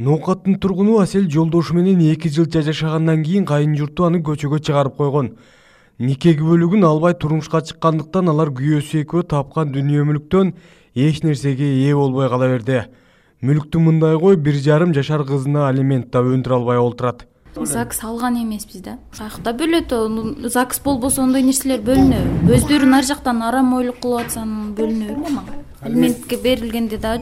Ноокаттын тургуну Асел жолдошу менен 2 жылча жашагандан кийин кайын журту аны көчөгө чыгарып койгон. Нике күбөлүгүн албай турмушка чыккандыктан алар күйөөсү экөө тапкан дүнүйө мүлктөн эч нерсеге ээ болбой кала берди. Мүлктү мындай кой 1,5 жашар кызына алимент да өндүрө албай олтурат. ЗАГС алган эмеспиз да. Ушакта бөлөт, ЗАГС болбосо ондой нерселер бөлүнөбү. Өздөрү нар жактан арам ойлук кылып атсам бөлүнөбү эле мага. Алиментке берилгенде да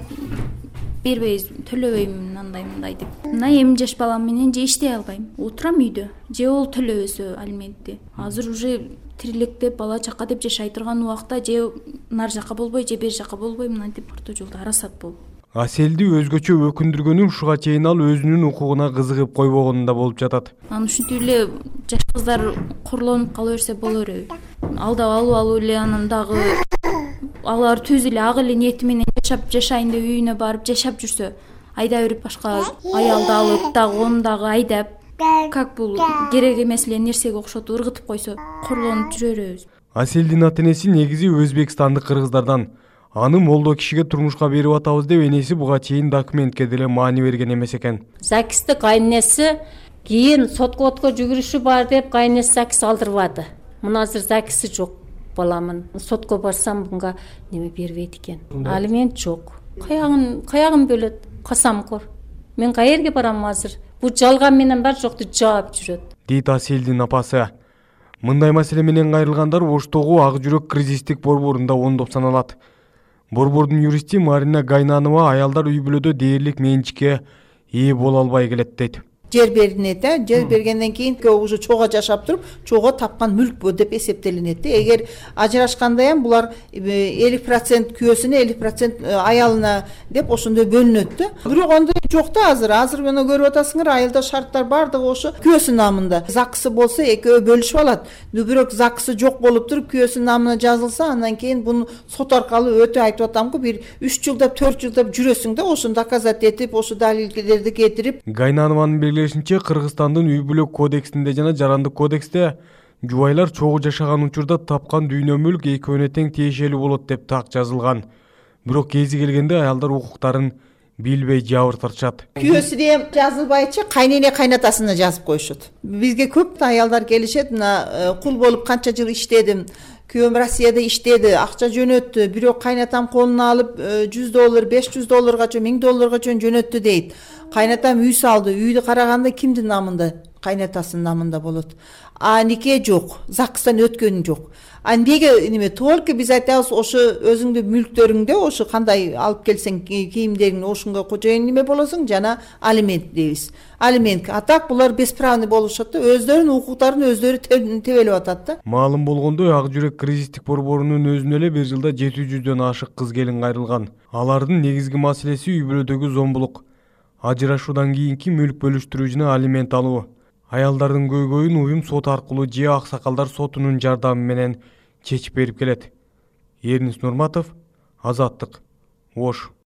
бербейбиз, төлөбөйм мындай деп. Мына эми жаш балам менен же иштей албайм. Отурам үйдө. Же ол төлөбөсө алиментти. Азыр уже тирилектеп бала чака деп жашай турган убакта же нар жака болбой, же бер жака болбой мынтип орто жолдо арасат болуп. Аселди өзгөчө өкүндүргөнү ушуга чейин ал өзүнүн укугуна кызыгып койбогонунда болуп жатат. Анан ушинтип эле жаш кыздар курлонуп кала берсе боло береби? Алдап алып эле анан дагы алар түз эле ак эле ниети менен жашайын деп үйүнө барып жашап жүрсө, айда берип башка аялды алып дагы оны дагы айдап, как бул керек эмес эле нерсеге окшотуп ыргытып койсо, курлонуп жүрө беребиз. Аселдин ата-энеси негизи өзбекстандык кыргыздардан. Аны молдо кишиге турмушка берип атабыз деп энеси буга чейин документке деле маани берген эмес экен. ЗАГСты кайненеси кийин соткотко жүгүрүшү бар деп кайненеси ЗАГС алдырбады. Мына азыр ЗАГСы жок баламын. Сотко барсам буга неме бербейт экен. Алимент жок. Каягын бөлөт? Касамкор. Мен каерге барам азыр? Бу жалган менен бар жокту жаап жүрөт. Дейт Аселдин апасы. Мындай маселе менен кайрылгандар Оштогу Ак жүрөк кризистик борборунда оңдоп саналат. Борбордун юристи Марина Гайнанова аялдар үй бүлөдө дээрлик менчикке ээ боло албай келет дейт. Жер берилет, жер бергенден кийин уже чого жашап туруп, чого тапкан мүлк деп эсептелинет. Эгер ажырашканда ham булар 50% күйөөсүнө, 50% аялына деп ошондой бөлүнөт да. Бирок андай жок да азыр. Азыр мына көрүп атасыңар, айылда шарттар бардыгы ошо күйөөсүнүн намында. ЗАГСы болсо экөө бөлүшүп алат. Бирок ЗАГСы жок болуп туруп күйөөсүнүн намына жазылса, андан кийин буну сот аркылуу өтө айтып атамгы, бир 3 жылдап, 4 жылдап жүрөсүң да, ошону доказать этип, ошо далилдерди кетирип. Гайнанованын Кыргызстандын үй бүлө кодексинде жана жарандык кодексте жубайлар чогуу жашаган учурда тапкан дүйнө мүлк экөөнө тең тиешелүү болот деп так жазылган. Бирок кези келгенде аялдар укуктарын билбей жабыртышат. Күйөөсүнө жазылбайчы кайнене кайнатасына жазып коюшат. Бизге көп аялдар келишет, мына кул болуп канча жыл иштедим. Күйөөм Россияда иштеди, акча жөнөттү, бирок кайнатам колуна алып $100, $500 $1000 жөнөттү дейт. Кайнатам үй салды, үйдү караганда кимдин намында? Кайнатасынын намында болот. А нике жок, ЗАГСтан өткөнү жок. А неге неме только биз айтабыз, ошо өзүңдүн мүлктөрүңдө ошо кандай алып келсең кийимдерин ошонго кожоюн неме болосуң, жана алимент дейбиз. Алимент. А так булар бесправный болушат да, өздөрүнүн укуктарын өздөрү тебелеп атат да. Маалым болгондой, Ак жүрөк кризистик борборунун өзүнө эле бир жылда 700дөн ашык кыз келин кайрылган. Алардын негизги маселеси үй бүлөдөгү зомбулук, ажырашуудан кийинки мүлк бөлүштүрүү жана алимент алуу. Аялдардын көйгөйүн уюм сот аркылуу же аксакалдар сотунун жардамы менен чечип берип келет. Эрнис Нурматов, Азаттык, Ош.